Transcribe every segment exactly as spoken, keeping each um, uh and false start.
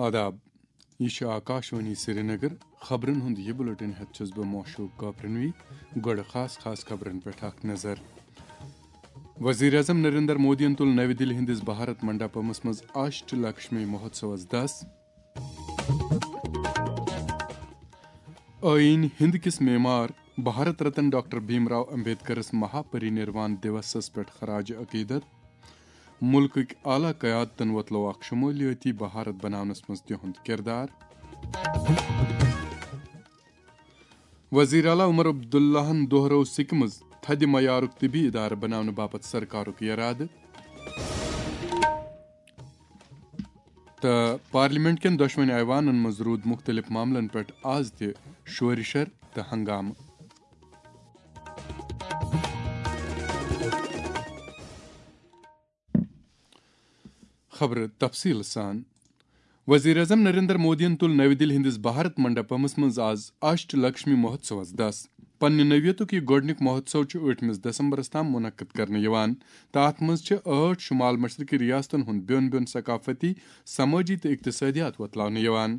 آداب، یہِ چھُ آکاشوانی سرینگر۔ خبرن ہُنٛد یہِ بُلٹن ہٮ۪تھ چھُس بہٕ موشوق کاپرنوی۔ گۄڈٕ خاص خاص خبرن پٮ۪ٹھ اکھ نظر۔ وزیر اعظم نریندر مودیَن تُل نَوِ دِلہِ ہٕنٛدِس بھارت منڈپمس منٛز اشٹ لکشمی مہوتسوس دَس۔ ٲییٖن ہِنٛد کِس معمار بھارت رتن ڈاکٹر بھیم راو امبیڈکرس مہا پری نروان دیوسس پٮ۪ٹھ خراج عقیدت۔ مُلکٕکۍ اعلیٰ قیادتن وۄتلوو اکھ شمولیٲتی بھارت بناونس منٛز تِہُنٛد کردار۔ وزیر اعلیٰ عمر عبداللہن دۄہرٲو سکمز تھدِ معیارُک طبی ادارٕ بناونہٕ باپتھ سرکارُک یرادٕ۔ تہٕ پارلیمنٹ کٮ۪ن دۄشوٕنی ایوانن منٛز روٗد مُختٔلِف معاملن پٮ۪ٹھ آز تہِ شورِ شر تہٕ ہنگامہٕ۔ خبرٕ تفصیٖل سان۔ وزیر اعظم نریندر مودیَن تُل نَوِ دِلہِ ہٕنٛدِس بھارت منڈپمس منٛز آز اشٹ لکشمی مہوتسوس دَس۔ پننہِ نوعیتُک یہِ گۄڈٕنیُک مہوتسو چھُ ٲٹھمِس دسمبرس تام منعقد کرنہٕ یِوان تہٕ اتھ منٛز چھِ ٲٹھ شمال مشرقی ریاستن ہُنٛد بیوٚن بیوٚن ثقافتی، سمٲجی تہٕ اقتصٲدیات وۄتلاونہٕ یِوان۔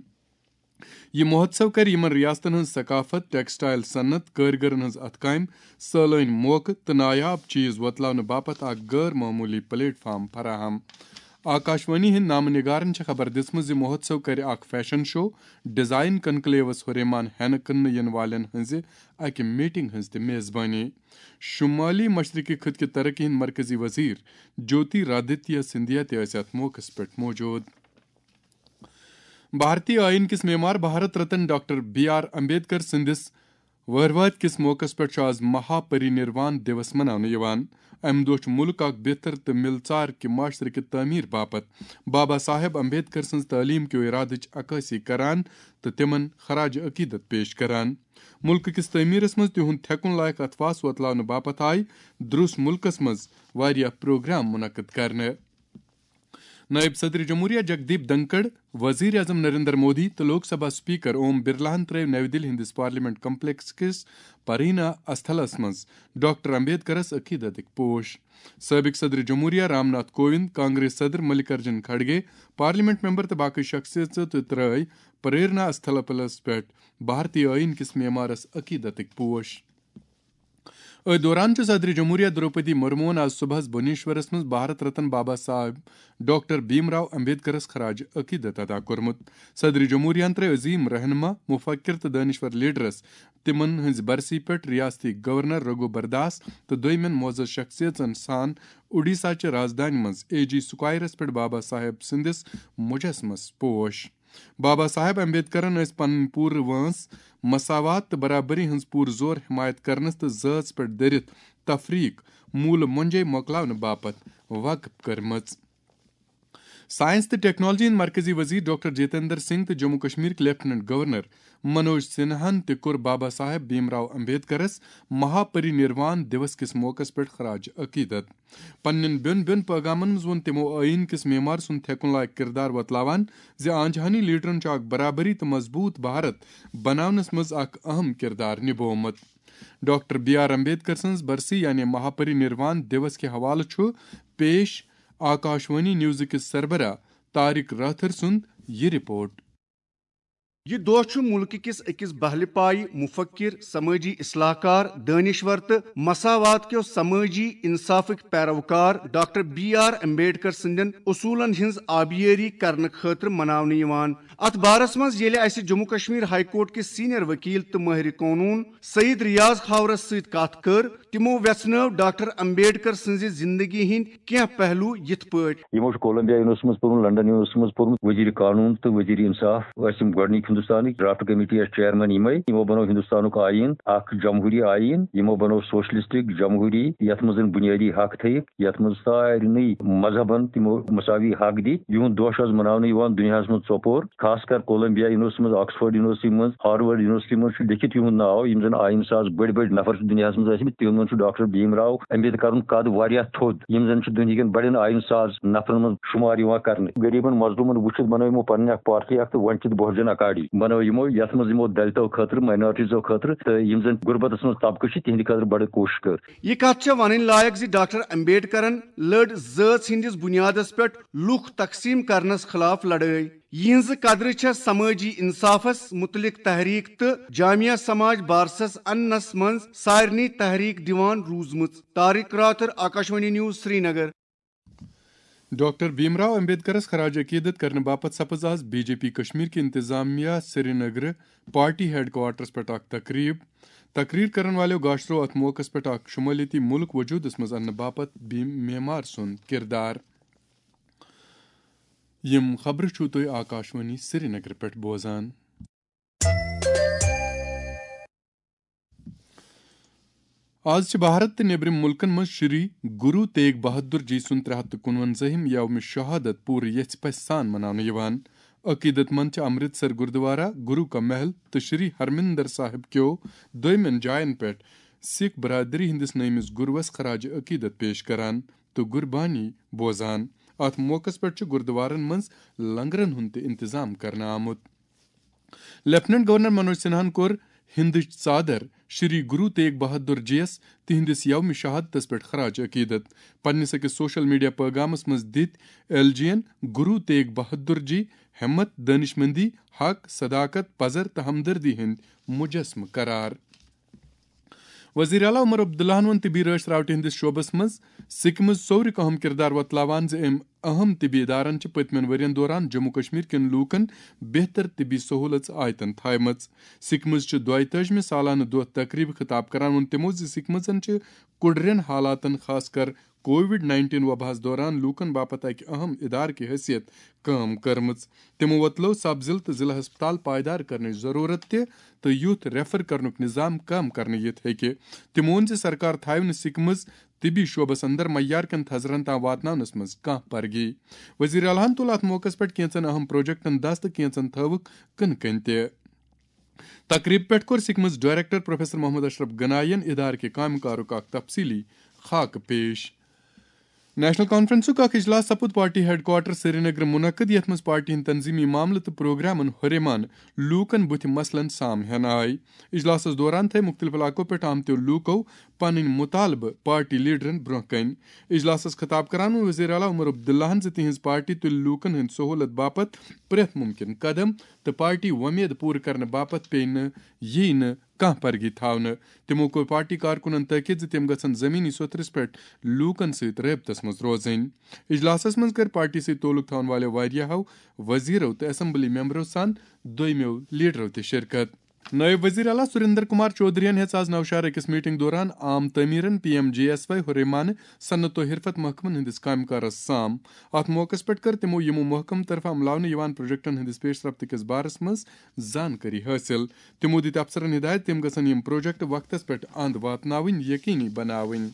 یہِ مہوتسو کرِ یِمن ریاستن ہٕنٛز ثقافت، ٹیکسٹائل صنعت، کٲرۍگرن ہٕنٛز اتھٕ کامہِ، سٲلٲنۍ موقعہٕ تہٕ نایاب چیز وۄتلاونہٕ باپتھ اکھ غٲر معموٗلی پلیٹ فارم فراہم۔ آکاشوانی ہٕنٛدۍ نامہٕ نگارن چھےٚ خبر دِژمٕژ زِ مہوتسو کرِ اکھ فیشن شو، ڈیزائن کنکلیوس ہُریمان ہٮ۪نہٕ کٕننہٕ یِنہٕ والٮ۪ن ہٕنٛزِ اکہِ میٹنگ ہٕنٛز تہِ میزبٲنی۔ شمالی مشرقی خطہٕ کہِ ترقی ہٕنٛدۍ مرکزی وزیر جیوتی رادتیہ سندھیا تہِ ٲسۍ اتھ موقعس پٮ۪ٹھ موجود۔ بھارتی آئین کِس معمار Bharat Ratna doctor B R Ambedkar سٕنٛدِس وہرواتۍ کِس موقعس پٮ۪ٹھ چھُ آز مہا پری نروان دیوس مناونہٕ یِوان۔ امہِ دۄہ چھُ مُلک اکھ بہتر تہٕ مِلژار کہِ معاشرٕ کہِ تعمیٖر باپتھ بابا صاحب امبیڈکر سٕنٛز تعلیٖم کیو ارادٕچ عکٲسی کران تہٕ تِمن خراج عقیدت پیش کران۔ مُلکہٕ کِس تعمیٖرس منٛز تِہُنٛد تھٮ۪کُن لایق اتھواس وۄتلاونہٕ باپتھ آیہِ درُس مُلکس منٛز واریاہ پروگرام منعقد کرنہٕ۔ نائب صدر جمہوریہ جگدیپ دھنکڑ، وزیر اعظم نریندر مودی تہٕ لوک سبھا اسپیکر اوم برلاہن ترٲوۍ نَوِ دِلہِ ہٕنٛدِس پارلیمنٹ کمپلیکس کِس پرینا استھلس منٛز ڈاکٹر امبیڈکرس عقیدتٕکۍ پوش۔ سٲبق صدر جمہوریہ رام ناتھ کووند، کانگریس صدر ملک ارجن کھڑگے، پارلیمنٹ ممبر تہٕ باقٕے شخصیژٕ تہِ ترٲوۍ پریرنا استھلس پٮ۪ٹھ بھارتی آئین کِس معمارس عقیدتٕکۍ پوش۔ أتھۍ دوران چھُ صدر جمہوریہ دروپدی مرموہن آز صبحس بھونیشورس منٛز بھارت رتن بابا صاحب ڈاکٹر بھیم راو امبیڈکرس خراج عقیدت ادا کوٚرمُت۔ صدر جمہوریہن ترٲوۍ عظیم رہنما، مفکر تہٕ دٲنشور لیڈرس تِمن ہٕنٛزِ برسی پٮ۪ٹھ ریاستی گورنر رگھو برداس تہٕ دویمٮ۪ن معزز شخصیژن سان اوڈیشہ چہِ رازدانہِ منٛز اے جی سکوائرس پٮ۪ٹھ بابا صاحب سٕنٛدِس مجسمس پوش۔ بابا صاحب امبیڈکرن ٲس پنٕنۍ پوٗرٕ وٲنٛس مساوات تہٕ برابری ہٕنٛز پوٗرٕ زور حمایت کرنس تہٕ ذٲژ پٮ۪ٹھ دٔرِتھ تفریق موٗلہٕ مۄنجے مۄکلاونہٕ باپتھ وقف کٔرمٕژ۔ سائنس تہٕ ٹیکنالوجی ہٕنٛدۍ مرکزی وزیر ڈاکٹر جتیندر سنگھ تہٕ جموں کشمیرٕکۍ لیفٹیننٹ گورنر منوج سنہاہن تہِ کوٚر بابا صاحب بھیم راو امبیڈکرس مہا پری نروان دیوس کِس موقعس پٮ۪ٹھ خراج عقیدت۔ پننٮ۪ن بیوٚن بیوٚن پٲغامن منٛز ووٚن تِمو آئین کِس معمار سُنٛد تھٮ۪کُن لایق کردار وۄتلاوان زِ آنجہانی لیڈرن چھُ اکھ برابری تہٕ مضبوط بھارت بناونس منٛز اکھ اہم کردار نبوومُت۔ ڈاکٹر بی آر امبیڈکر سٕنٛز برسی یعنی مہاپری نروان دیوس کہِ حوالہٕ چھُ پیش آکاشوانی نیوزٕ کِس سربراہ طارق راتھر سُنٛد یہِ رپورٹ۔ یہِ دۄہ چھُ مُلکہٕ کِس أکِس بہلہِ پایہِ مُفکِر، سمٲجی اصلاح کار، دٲنِشور تہٕ مساوات کیو سمٲجی انصافٕکۍ پیروکار ڈاکٹر بی آر امبیڈکر سٕنٛدٮ۪ن اصوٗلن ہٕنٛز آبیٲری کرنہٕ خٲطرٕ مناونہٕ یِوان۔ اتھ بارس منٛز ییٚلہِ اسہِ جموں کشمیر ہائی کورٹ کِس سینئر وکیل تہٕ مٲہرِ قونوٗن سعید ریاض خاورس سۭتۍ کتھ کٔر، تِمو ویژھنٲو ڈاکٹر امبیڈکر سٕنٛزِ زندگی ہٕنٛدۍ کینٛہہ پہلو یِتھ پٲٹھۍ۔ یِمو چھُ کولمبیا یونیورسٹی منٛز پوٚرمُت، لندن یونیورسٹی منٛز پوٚرمُت، وزیر قانون تہٕ وزیر انصاف ٲسۍ یِم گۄڈٕنِکۍ ہندوستانٕکۍ، ڈرافٹ کمیٹی ٲسۍ چیئرمین یِمے۔ یِمو بنوو ہندوستانُک آئین اکھ جمہوری آئین، یِمو بنوو سوشلسٹک جمہوری، یتھ منٛز زن بنیٲدی حق تھٲیِکھ، یتھ منٛز سارنٕے مذہبن تِمو مساوی حق دِتۍ۔ یِہُنٛد دۄہ چھُ آز مناونہٕ یِوان دُنیاہس منٛز ژۄپور، خاص کر کولمبیا یونیورسٹی منٛز، آکسفورڈ یونیورسٹی منٛز، ہارورڈ یونیورسٹی منٛز چھُ لیکھِتھ یِہُنٛد ناو۔ یِم زن آئین ساز بٔڑۍ بٔڑۍ نفر چھِ دُنیاہس منٛز ٲسمٕتۍ، تِمن منٛز چھُ ڈاکٹر بھیم راو امبیڈکرُن قد واریاہ تھوٚد، یِم زن چھِ دُنہِکٮ۪ن بڑٮ۪ن آئین ساز نفرن منٛز شُمار یِوان کرنہٕ۔ غریبن مظلومن وٕچھِتھ بنٲو یِمو پنٕنۍ اکھ پارٹی اکھ تہٕ ونچت بہوجن اکاڈی بنٲو یِمو، یتھ منٛز یِمو دلتو خٲطرٕ، مائنارٹیزو خٲطرٕ تہٕ یِم زن غربتس منٛز طبقہٕ چھِ، تِہنٛدِ خٲطرٕ بڑٕ کوٗشش کٔر۔ یہِ کتھ چھےٚ ونٕنۍ لایق زِ ڈاکٹر امبیڈکرن لٔڑ ذٲژ ہٕنٛدِس بُنیادس پٮ۪ٹھ لُکھ تقسیٖم کرنس خلاف لڑٲے۔ یِہنٛزٕ قدرٕ چھےٚ سمٲجی انصافس متعلق تحریک تہٕ جامعہ سماج بارسس اننس منٛز سارنٕے تحریک دِوان روٗزمٕژ۔ طارق راتھر، آکاشوانی نیوز، سرینگر۔ ڈاکٹر بھیم راو امبیڈکرس خراج عقیدت کرنہٕ باپتھ سپٕز آز بی جے پی کشمیر کہِ انتظامیہ سرینگرٕ پارٹی ہیڈ کوارٹرس پٮ۪ٹھ اکھ تقریب۔ تقریر کرن والٮ۪و گاشرو اتھ موقعس پٮ۪ٹھ اکھ شمٲلیتی ملک وجودس منٛز اننہٕ باپتھ بھیم معمار سُنٛد کردار۔ یِم خبرٕ چھِو تُہۍ آکاشوانی سرینگرٕ پٮ۪ٹھ بوزان۔ آز چھِ بھارت تہٕ نیٚبرِم مُلکن منٛز شری گرو تیگ بہادر جی سُنٛد ترٛےٚ ہَتھ تہٕ کُنوَنزٲہِم یوم شہادت پوٗرٕ یژھِ پژھِ سان مناونہٕ یِوان۔ عقیدت مند چھِ امرتسر گردوارہ، گرو کا محل تہٕ شری ہرمندر صاحب کیو دویمٮ۪ن جاین پٮ۪ٹھ سکھ برادری ہٕنٛدِس نٲمِس گروس خراج عقیدت پیش کران تہٕ قربانی بوزان۔ اتھ موقعس پٮ۪ٹھ چھُ گردوارن منٛز لنگرن ہُنٛد تہِ انتظام کرنہٕ آمُت۔ لیفٹیننٹ گورنر منوج سنہاہن کوٚر ہندٕچ ژادر شری گرو تیگ بہادر جی یس تہنٛدِس یوم شہادتس پٮ۪ٹھ خراج عقیدت۔ پننِس أکِس سوشل میڈیا پیغامس منٛز دِتۍ ایل جی ین گرو تیگ بہادر جی ہمت، دانشمندی، حق، صداقت، پزر تہٕ ہمدردی ہٕنٛدۍ مجسمہٕ قرار۔ وزیر اعلیٰ عمر عبداللہن ووٚن طبی رٲچھ راوٹہِ ہٕنٛدِس شعبس منٛز سکمز ژورِ اہم کردار وۄتلاوان زِ أمۍ اہم طبی ادارن چھِ پٔتمٮ۪ن ؤرین دوران جموں کشمیر کٮ۪ن لوٗکن بہتر طبی سہوٗلژ آیتن تھایمژ۔ سکمز چھِ دۄیتٲجمہِ سالانہٕ دۄہ تقریبہِ خطاب کران ووٚن تِمو زِ سکمزن چھِ کُڑرٮ۪ن حالاتن، خاص کر کووڈ نائنٹین وباہس دوران لوٗکن باپتھ اکہِ اہم ادارٕ کہِ حیثیت کٲم کٔرمٕژ۔ تِمو وۄتلٲو سب ضلعہٕ تہٕ ضلعہٕ ہسپتال پائیدار کرنٕچ ضرورت تہِ تہٕ یُتھ ریفر کرنُک نظام کم کرنہٕ یِتھ ہیٚکہِ۔ تِمو ووٚن زِ سرکار تھاوِ نہٕ سکمز طبی شعبس اندر معیار کٮ۪ن تھزرن تام واتناونس منٛز کانٛہہ پرگی۔ وزیر اعلیٰ ہن تُل اتھ موقعس پٮ۪ٹھ کینژن اہم پروجیکٹن دست تہٕ کینژن تھٲوٕکھ کٕنہٕ کٔنۍ تہِ۔ تقریب پٮ۪ٹھ کوٚر سکمز ڈائریکٹر پروفیسر محمد اشرف گناین ادارٕ کہِ کامہِ کارُک اکھ تفصیلی خاکہٕ پیش۔ نیشنل کانفرنسُک اکھ اجلاس سپُد پارٹی ہیڈ کوارٹر سرینگر منعقد، یتھ منٛز پارٹی ہٕنٛدۍ تنظیمی معاملہٕ تہٕ پروگرامن ہُریمان لوٗکن بُتھِ مسلن سام ہٮ۪نہٕ آیہِ۔ اجلاسس دوران تھٲوۍ مُختٔلِف علاقو پٮ۪ٹھ آمتیو لوٗکو پنٕنۍ مُطالبہٕ پارٹی لیڈرن برٛونٛہہ کنہِ۔ اجلاسس خطاب کران ووٚن وزیر اعلیٰ عمر عبداللہن زِ تِہنٛز پارٹی تُلہِ لوٗکن ہٕنٛدِ سہوٗلت باپتھ پرٛٮ۪تھ مُمکِن قدم تہٕ پارٹی وۄمید پوٗرٕ کرنہٕ باپتھ پیٚیہِ نہٕ، ییہِ نہٕ کانٛہہ پرگی تھاونہٕ۔ تِمو کوٚر پارٹی کارکُنن تٲکید زِ تِم گژھن زمینی سطحس پٮ۪ٹھ لوٗکن سۭتۍ رٲبطس منٛز روزٕنۍ۔ اجلاسس منٛز کٔر پارٹی سۭتۍ تعلق تھاون والٮ۪و واریاہو وزیرو تہٕ اسمبلی ممبرو سان دوٚیمیو لیڈرو تہِ شرکت۔ نائب وزیر اعلیٰ سریندر کمار چودھرین ہیٚژ آز نوشہرٕ أکِس میٹنگ دوران عام تعمیرن، P M J S Y, ہُریمانہٕ، صنعت و حرفت محکمن ہٕنٛدِس کامہِ کارس سام۔ اتھ موقعس پٮ۪ٹھ کٔر تِمو یِمو محکمہٕ طرفہٕ عملاونہٕ یِوان پروجیکٹن ہٕنٛدِس پیش رفت کِس بارس منٛز زانکٲری حٲصِل۔ تِمو دِتۍ افسرن ہدایت تِم گژھن یِم پروجیکٹ وقتس پٮ۪ٹھ اند واتناوٕنۍ یقینی بناوٕنۍ۔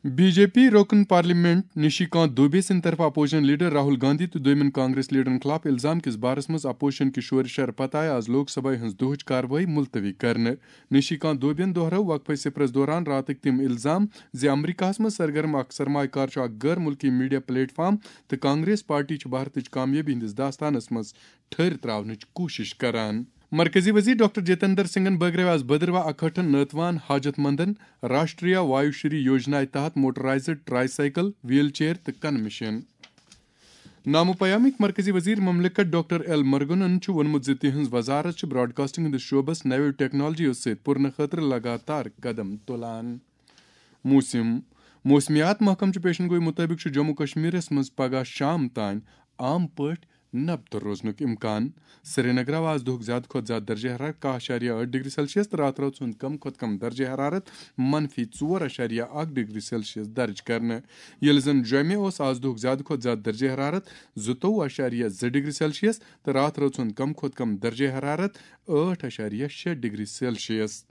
بی جے پی رکن پارلیمنٹ نشی کانت دوبے سٕنٛدِ طرفہٕ اپوزیشن لیڈر راہل گاندھی تہٕ دوٚیمٮ۪ن کانگریس لیڈرن خلاف الزام کِس بارس منٛز اپوزیشن کہِ شورِ شر پتہٕ آیہِ آز لوک سبھایہ ہٕنٛز دۄہٕچ کاروٲیی ملتوی کرنہٕ۔ نشی کانت دوبین دۄہرٲو وقفے صفرس دوران راتٕکۍ تِم الزام زِ امریکہس منٛز سرگرم اکھ سرمایہ کار چھُ اکھ غٲر ملکی میڈیا پلیٹ فارم تہٕ کانگریس پارٹی چھِ بھارتٕچ کامیٲبی ہٕنٛدِس داستانس منٛز ٹھٔہر تراونٕچ کوٗشش کران۔ مرکزی وزیر ڈاکٹر جتیندر سنگھن بٲگرٲوۍ آز بھدرواہ اکہٲٹھن نٲتوان حاجت مندن راشٹریہ وایو شری یوجنا تحت موٹرائزڈ ٹرائی سائیکل، ویل چیئر تہٕ کنہٕ مشین۔ نامہ پیامٕکۍ مرکزی وزیر مملکت ڈاکٹر ایل مرگنن چھُ ووٚنمُت زِ تِہنٛز وزارت چھِ براڈ کاسٹنگ ہٕنٛدِس شعبس نویو ٹیکنالوجیو سۭتۍ پُرنہٕ خٲطرٕ لگاتار قدم تُلان۔ موسم۔ موسمیات محکمہٕ چہِ پیشن گوئی مُطٲبِق چھُ جموں کشمیرس منٛز پگہہ شام تام عام پٲٹھۍ نبتہٕ روزنُک امکان۔ سرینگر آو آز دُہُک زیادٕ کھۄتہٕ زیادٕ درجہ حرارت کاہ اَشاریہ ٲٹھ ڈگری سیلسیس تہٕ راتھ رٲژ ہُنٛد کم کھۄتہٕ کم درجہ حرارت منفی ژور اَشاریہ اکھ ڈگری سیلسیس درج کرنہٕ، ییٚلہِ زن جوٚمہِ اوس آز دُہُک زیادٕ کھۄتہٕ زیادٕ درجہ حرارت زٕتووُہ اَشاریہ زٕ ڈگری سیلسیس تہٕ راتھ رٲژ ہُنٛد کم کھۄتہٕ کم درجہ حرارت ٲٹھ اَشاریہ شےٚ ڈگری سیلسیس۔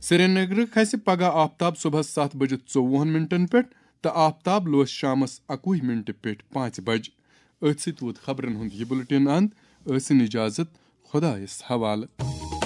سرینگرٕ کھسہِ پگہہ آفتاب صبحس ستھ بجہِ ژوٚوُہن منٹن پٮ۪ٹھ تہٕ آفتاب لوس شامس اَکوُہ منٹہِ پٮ۪ٹھ پانٛژِ بجہِ۔ أتھۍ سۭتۍ ووت خبرن ہُنٛد یہِ بُلٹن اند۔ ٲسِن اجازت، خدایس حوالہٕ۔